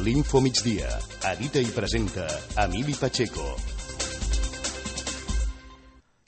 L'Info Migdia. Edita i presenta Emili Pacheco.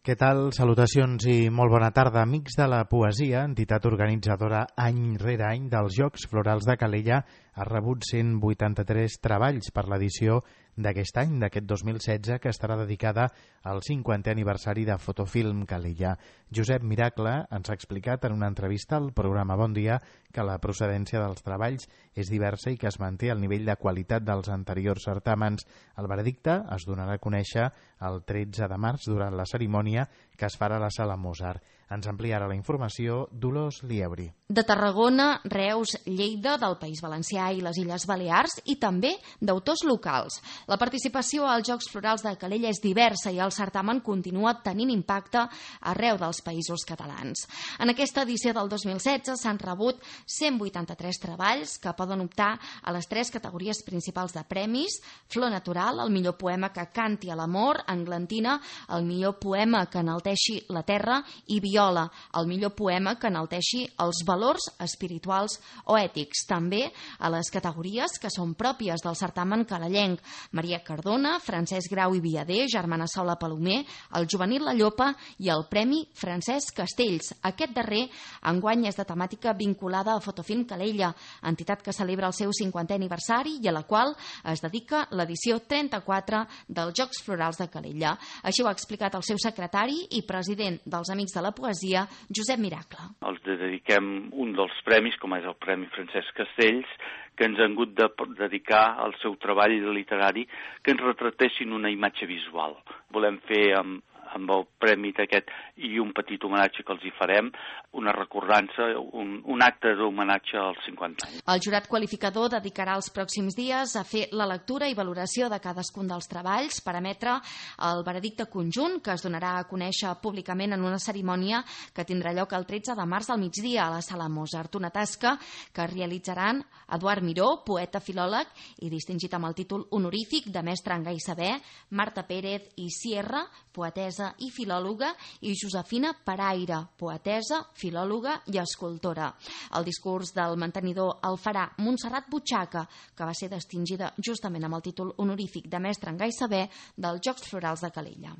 Què tal? Salutacions i molt bona tarda. Amics de la Poesia, entitat organitzadora any rere any dels Jocs Florals de Calella, ha rebut 183 treballs per l'edició d'aquest any, d'aquest 2016, que estarà dedicada al 50è aniversari de Fotofilm Calella. Josep Miracle ens ha explicat en una entrevista al programa Bon Dia que la procedència dels treballs és diversa i que es manté el nivell de qualitat dels anteriors certàmens. El veredicte es donarà a conèixer el 13 de març durant la cerimònia que es farà a la Sala Mozart. Ens ampliarà la informació Dolors Liebri. De Tarragona, Reus, Lleida, del País Valencià i les Illes Balears i també d'autors locals. La participació als Jocs Florals de Calella és diversa i el certamen continua tenint impacte arreu dels països catalans. En aquesta edició del 2016 s'han rebut 183 treballs que poden optar a les 3 categories principals de premis: Flor Natural, el millor poema que canti a l'amor; Englantina, el millor poema que enalteixi la terra; i Viola, el millor poema que enalteixi els valors espirituals o ètics. També a les categories que són pròpies del certamen calellenc: Maria Cardona, Francesc Grau i Viader, Germana Sola Palomer, el Juvenil La Llopa i el Premi Francesc Castells. Aquest darrer enguany és de temàtica vinculada a Fotofilm Calella, entitat que celebra el seu 50è aniversari i a la qual es dedica l'edició 34 dels Jocs Florals de Calella. Així ho ha explicat el seu secretari i president dels Amics de la Poesia, Josep Miracle. Els dediquem un dels premis, com és el Premi Francesc Castells, que ens han hagut de dedicar al seu treball literari, que ens retratessin una imatge visual. Volem fer amb el premi d'aquest i un petit homenatge que els hi farem, una recordança, un acte d'homenatge als 50 anys. El jurat qualificador dedicarà els pròxims dies a fer la lectura i valoració de cadascun dels treballs per emetre el veredicte conjunt, que es donarà a conèixer públicament en una cerimònia que tindrà lloc el 13 de març al migdia a la Sala Mozart, una tasca que realitzaran Eduard Miró, poeta filòleg i distingit amb el títol honorífic de mestre en gai saber, Marta Pérez i Sierra, poetessa i filòloga, i Josefina Paraire, poetessa, filòloga i escultora. El discurs del mantenidor el farà Montserrat Butxaca, que va ser distingida justament amb el títol honorífic de mestre en gai saber dels Jocs Florals de Calella.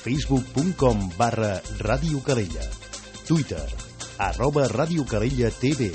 Facebook.com/Ràdio Calella. Twitter @Ràdio Calella TV.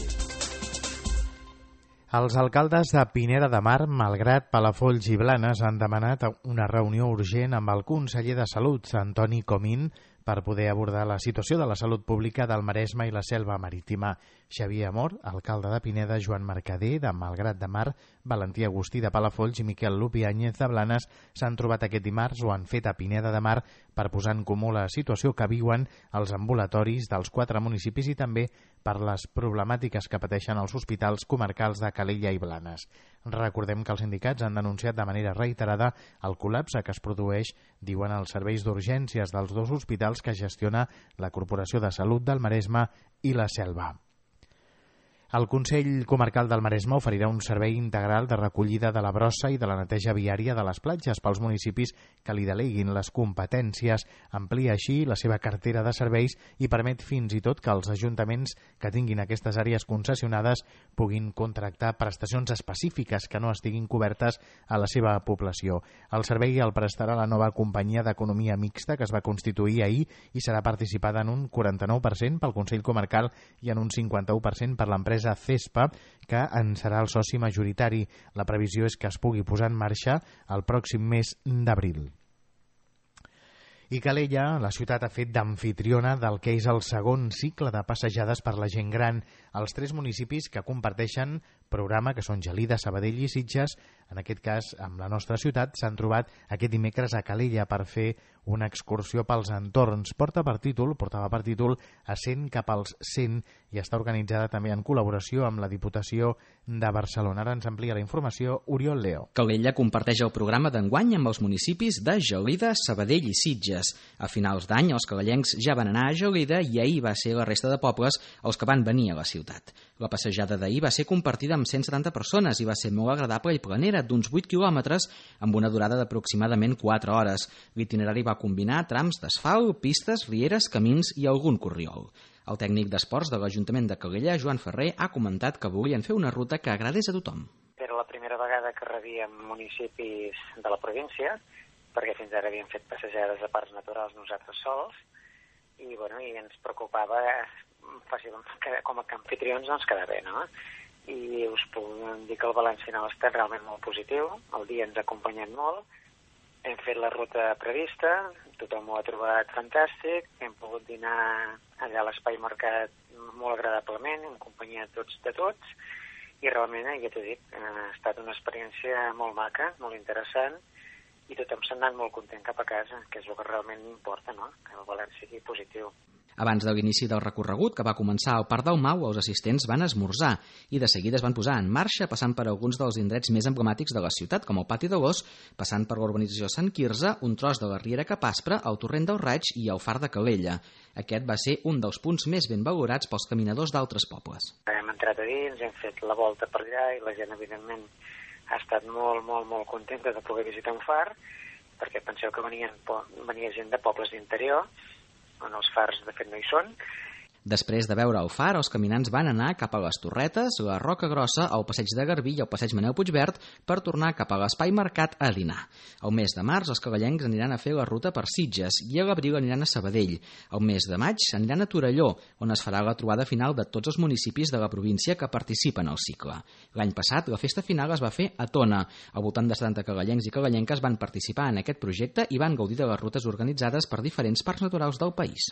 Els alcaldes de Pineda de Mar, Malgrat, Palafolls i Blanes han demanat una reunió urgent amb el conseller de Salut, Antoni Comín, per poder abordar la situació de la salut pública del Maresme i la Selva Marítima. Xavier Amor, alcalde de Pineda, Joan Mercader, de Malgrat de Mar, Valentí Agustí, de Palafolls, i Miquel Lupi Áñez, de Blanes, s'han trobat aquest dimarts o han fet a Pineda de Mar per posar en comú la situació que viuen els ambulatoris dels 4 municipis i també per les problemàtiques que pateixen els hospitals comarcals de Calella i Blanes. Recordem que els sindicats han denunciat de manera reiterada el col·lapse que es produeix, diuen, els serveis d'urgències dels 2 hospitals que gestiona la Corporació de Salut del Maresme i la Selva. El Consell Comarcal del Maresme oferirà un servei integral de recollida de la brossa i de la neteja viària de les platges pels municipis que li deleguin les competències. Amplia així la seva cartera de serveis i permet fins i tot que els ajuntaments que tinguin aquestes àrees concessionades puguin contractar prestacions específiques que no estiguin cobertes a la seva població. El servei el prestarà la nova companyia d'economia mixta que es va constituir ahir i serà participada en un 49% pel Consell Comarcal i en un 51% per l'empresa CESPA, que en serà el soci majoritari. La previsió és que es pugui posar en marxa el pròxim mes d'abril. I Calella, la ciutat, ha fet d'amfitriona del que és el segon cicle de passejades per la gent gran. Els 3 municipis que comparteixen programa, que són Gelida, Sabadell i Sitges, en aquest cas amb la nostra ciutat, s'han trobat aquest dimecres a Calella per fer una excursió pels entorns. Portava per títol A 100 cap als 100 i està organitzada també en col·laboració amb la Diputació de Barcelona. Ara ens amplia la informació Oriol Leo. Calella comparteix el programa d'enguany amb els municipis de Gelida, Sabadell i Sitges. A finals d'any els calellencs ja van anar a Gelida i ahir va ser la resta de pobles els que van venir a la ciutat. La passejada d'ahir va ser compartida amb 170 persones i va ser molt agradable i planera, d'uns 8 quilòmetres amb una durada d'aproximadament 4 hores. L'itinerari va combinar trams d'asfalt, pistes, rieres, camins i algun corriol. El tècnic d'esports de l'Ajuntament de Calella, Joan Ferrer, ha comentat que volien fer una ruta que agradés a tothom. Era la primera servir en municipis de la província, perquè fins ara havíem fet passejades a parcs naturals nosaltres sols, i ens preocupava com a anfitrions doncs quedar bé, no? I us puc dir que el balanç final ha estat realment molt positiu, el dia ens ha acompanyat molt, hem fet la ruta prevista, tothom ho ha trobat fantàstic, hem pogut dinar allà a l'Espai Mercat molt agradablement, en companyia de tots, i realment, ja t'he dit, ha estat una experiència molt maca, molt interessant, i tothom s'ha anat molt content cap a casa, que és el que realment importa, no? Que el balanç sigui positiu. Abans de l'inici del recorregut, que va començar al Parc del Mau, els assistents van esmorzar i de seguida es van posar en marxa, passant per alguns dels indrets més emblemàtics de la ciutat, com el Pati de l'Ós, passant per l'urbanització Sant Quirze, un tros de la Riera Capaspra, el Torrent del Raig i el Far de Calella. Aquest va ser un dels punts més ben valorats pels caminadors d'altres pobles. Hem entrat a dins, hem fet la volta per allà i la gent, evidentment, ha estat molt, molt, molt contenta de poder visitar un far, perquè penseu que venia gent de pobles d'interior, on els fars de fet no hi són. Després de veure el far, els caminants van anar cap a les Torretes, la Roca Grossa, el Passeig de Garbí i el Passeig Manel Puigverd per tornar cap a l'Espai Mercat a dinar. El mes de març, els cavallencs aniran a fer la ruta per Sitges i a l'abril aniran a Sabadell. El mes de maig aniran a Torelló, on es farà la trobada final de tots els municipis de la província que participen al cicle. L'any passat, la festa final es va fer a Tona. Al voltant de 70 cavallencs i cavallenques van participar en aquest projecte i van gaudir de les rutes organitzades per diferents parcs naturals del país.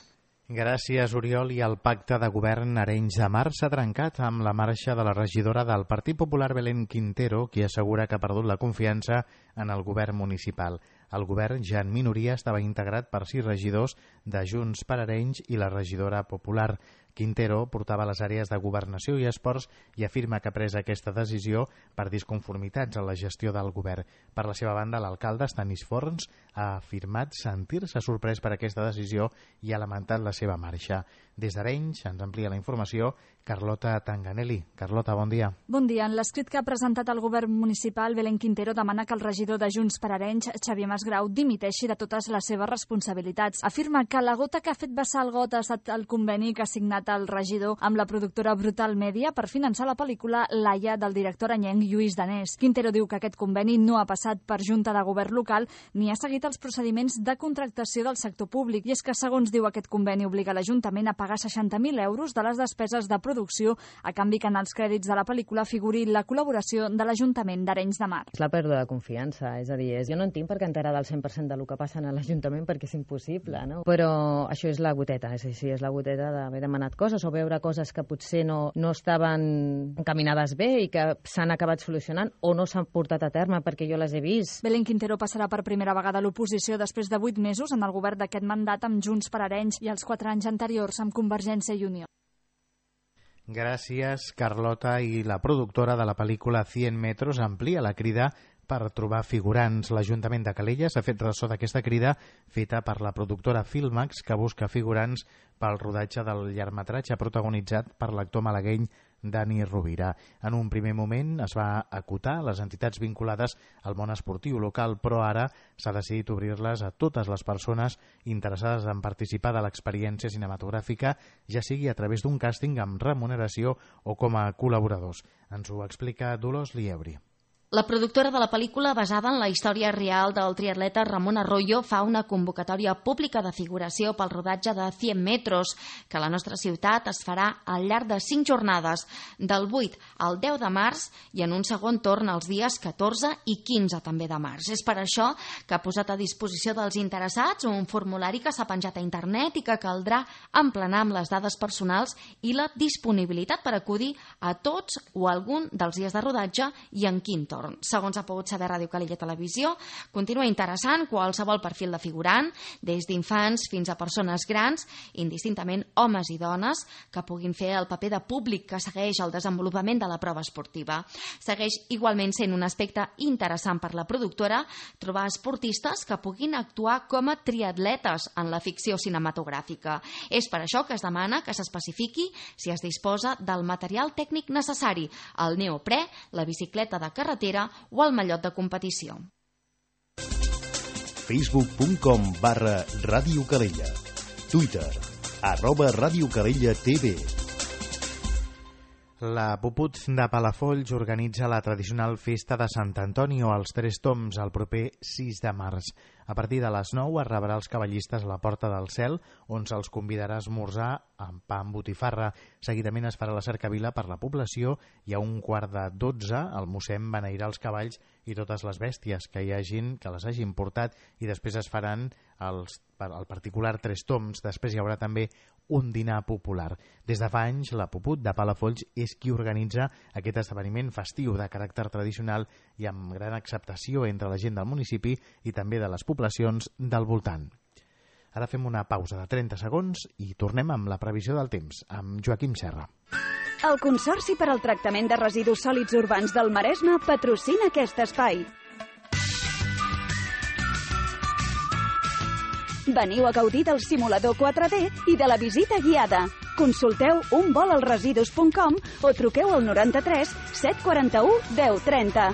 Gràcies, Oriol. I el pacte de govern Arenys de Mar s'ha trencat amb la marxa de la regidora del Partit Popular, Belén Quintero, qui assegura que ha perdut la confiança en el govern municipal. El govern, ja en minoria, estava integrat per 6 regidors de Junts per Arenys i la regidora popular. Quintero portava les àrees de governació i esports i afirma que ha pres aquesta decisió per disconformitats en la gestió del govern. Per la seva banda, l'alcalde Stanis Forns ha afirmat sentir-se sorprès per aquesta decisió i ha lamentat la seva marxa. Des d'Arenys ens amplia la informació Carlota Tanganelli. Carlota, bon dia. Bon dia. En l'escrit que ha presentat el govern municipal, Belén Quintero demana que el regidor de Junts per Arenys, Xavier Masgrau, dimiteixi de totes les seves responsabilitats. Afirma que la gota que ha fet vessar el got ha estat el conveni que ha signat el regidor amb la productora Brutal Media per finançar la pel·lícula Laia del director anyenc Lluís Danés. Quintero diu que aquest conveni no ha passat per Junta de Govern local ni ha seguit els procediments de contractació del sector públic. I és que, segons diu aquest conveni, obliga l'Ajuntament a pagar 60.000 euros de les despeses de producció a canvi que en els crèdits de la pel·lícula figuri la col·laboració de l'Ajuntament d'Arenys de Mar. És la pèrdua de confiança, és a dir, jo no en tinc per què enterar del 100% del que passa a l'Ajuntament perquè és impossible, no? Però això és la goteta, és així, és la goteta d'haver demanat coses o veure coses que potser no estaven encaminades bé i que s'han acabat solucionant o no s'han portat a terme perquè jo les he vist. Belén Quintero passarà per primera vegada a l'oposició després de 8 mesos en el govern d'aquest mandat amb Junts per Arenys i els 4 anys anteriors amb Convergència i Unió. Gràcies, Carlota. I la productora de la pel·lícula 100 metros amplia la crida per trobar figurants. L'Ajuntament de Calella s'ha fet ressò d'aquesta crida feta per la productora Filmax, que busca figurants pel rodatge del llargmetratge protagonitzat per l'actor malagueny Dani Rovira. En un primer moment es va acotar les entitats vinculades al món esportiu local, però ara s'ha decidit obrir-les a totes les persones interessades en participar de l'experiència cinematogràfica, ja sigui a través d'un càsting amb remuneració o com a col·laboradors. Ens ho explica Dolors Lieuri. La productora de la pel·lícula, basada en la història real del triatleta Ramon Arroyo, fa una convocatòria pública de figuració pel rodatge de 100 metros, que a la nostra ciutat es farà al llarg de 5 jornades, del 8 al 10 de març i en un segon torn els dies 14 i 15 també de març. És per això que ha posat a disposició dels interessats un formulari que s'ha penjat a internet i que caldrà emplenar amb les dades personals i la disponibilitat per acudir a tots o algun dels dies de rodatge i en quin torn. Segons ha pogut saber Ràdio Calella Televisió, continua interessant qualsevol perfil de figurant, des d'infants fins a persones grans, indistintament homes i dones, que puguin fer el paper de públic que segueix el desenvolupament de la prova esportiva. Segueix igualment sent un aspecte interessant per la productora trobar esportistes que puguin actuar com a triatletes en la ficció cinematogràfica. És per això que es demana que s'especifiqui si es disposa del material tècnic necessari, el neoprè, la bicicleta de carretera o el mallot de competició. Facebook.com/Ràdio Calella. Twitter @Ràdio Calella TV. La Puput de Palafolls organitza la tradicional festa de Sant Antoni o els Tres Tombs el proper 6 de març. A partir de les 9 es rebrà els cavallistes a la Porta del Cel, on se'ls convidarà a esmorzar amb pa amb botifarra. Seguidament es farà la cercavila per la població i a 11:45 el mossèn beneirà els cavalls i totes les bèsties que les hagin portat, i després es faran el particular Tres Tombs. Després hi haurà també un dinar popular. Des de fa anys, la Puput de Palafolls és qui organitza aquest esdeveniment festiu de caràcter tradicional i amb gran acceptació entre la gent del municipi i també de les poblacions del voltant. Ara fem una pausa de 30 segons i tornem amb la previsió del temps, amb Joaquim Serra. El Consorci per al Tractament de Residus Sòlids Urbans del Maresme patrocina aquest espai. Veniu a gaudir del simulador 4D i de la visita guiada. Consulteu unvolalresidus.com o truqueu al 93 741 1030.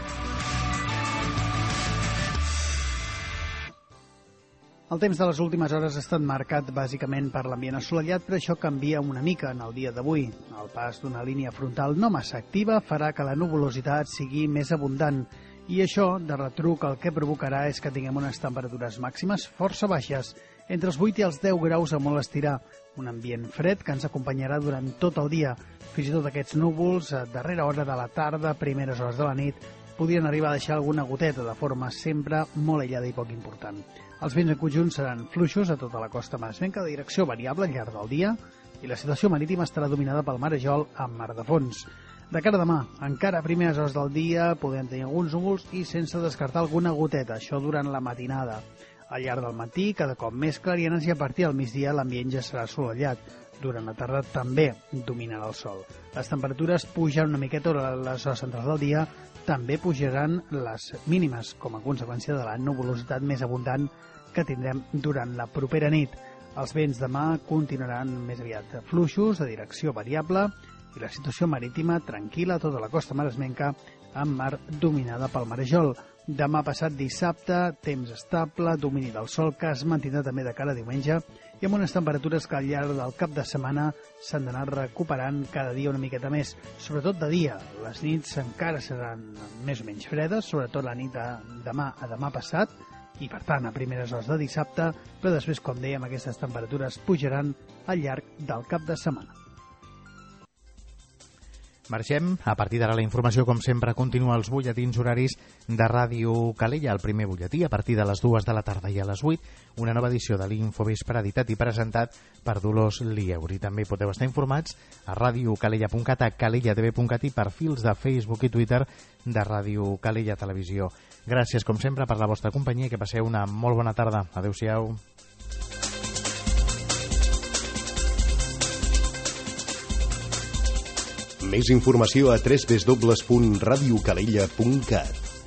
El temps de les últimes hores ha estat marcat bàsicament per l'ambient assolellat, però això canvia una mica en el dia d'avui. El pas d'una línia frontal no massa activa farà que la nuvolositat sigui més abundant, i això, de retruc, el que provocarà és que tinguem unes temperatures màximes força baixes, entre els 8 i els 10 graus a molt estirar, un ambient fred que ens acompanyarà durant tot el dia. Fins i tot aquests núvols, a darrera hora de la tarda, primeres hores de la nit, podrien arribar a deixar alguna goteta de forma sempre molt aïllada i poc important. Els vents en conjunt seran fluixos a tota la costa maresmenca de direcció variable al llarg del dia, i la situació marítima estarà dominada pel marejol amb mar de fons. De cara a demà, encara a primeres hores del dia podem tenir alguns núvols i sense descartar alguna goteta, això durant la matinada. Al llarg del matí, cada cop més clarianes, i a partir del migdia l'ambient ja serà assolellat. Durant la tarda també dominarà el sol. Les temperatures pujaran una miqueta a les hores centrals del dia, també pujaran les mínimes com a conseqüència de la nuvolositat més abundant que tindrem durant la propera nit. Els vents demà continuaran més aviat fluixos, de direcció variable, i la situació marítima tranquil·la a tota la costa maresmenca, amb mar dominada pel marejol. Demà passat dissabte, temps estable, domini del sol, que es mantindrà també de cara a diumenge, i amb unes temperatures que al llarg del cap de setmana s'han d'anar recuperant cada dia una miqueta més, sobretot de dia. Les nits encara seran més o menys fredes, sobretot la nit de demà a demà passat, i per tant a primeres hores de dissabte, però després, com dèiem, aquestes temperatures pujaran al llarg del cap de setmana. Marxem. A partir d'ara la informació, com sempre, continua als butlletins horaris de Ràdio Calella. El primer butlletí a partir de les 2 de la tarda, i a les 8 una nova edició de l'Infovespre, editat i presentat per Dolors Lieuri. També podeu estar informats a radiocalella.cat, a calellatv.cat i per fils de Facebook i Twitter de Ràdio Calella Televisió. Gràcies, com sempre, per la vostra companyia i que passeu una molt bona tarda. Adéu-siau. Més informació a www.radiocalella.cat.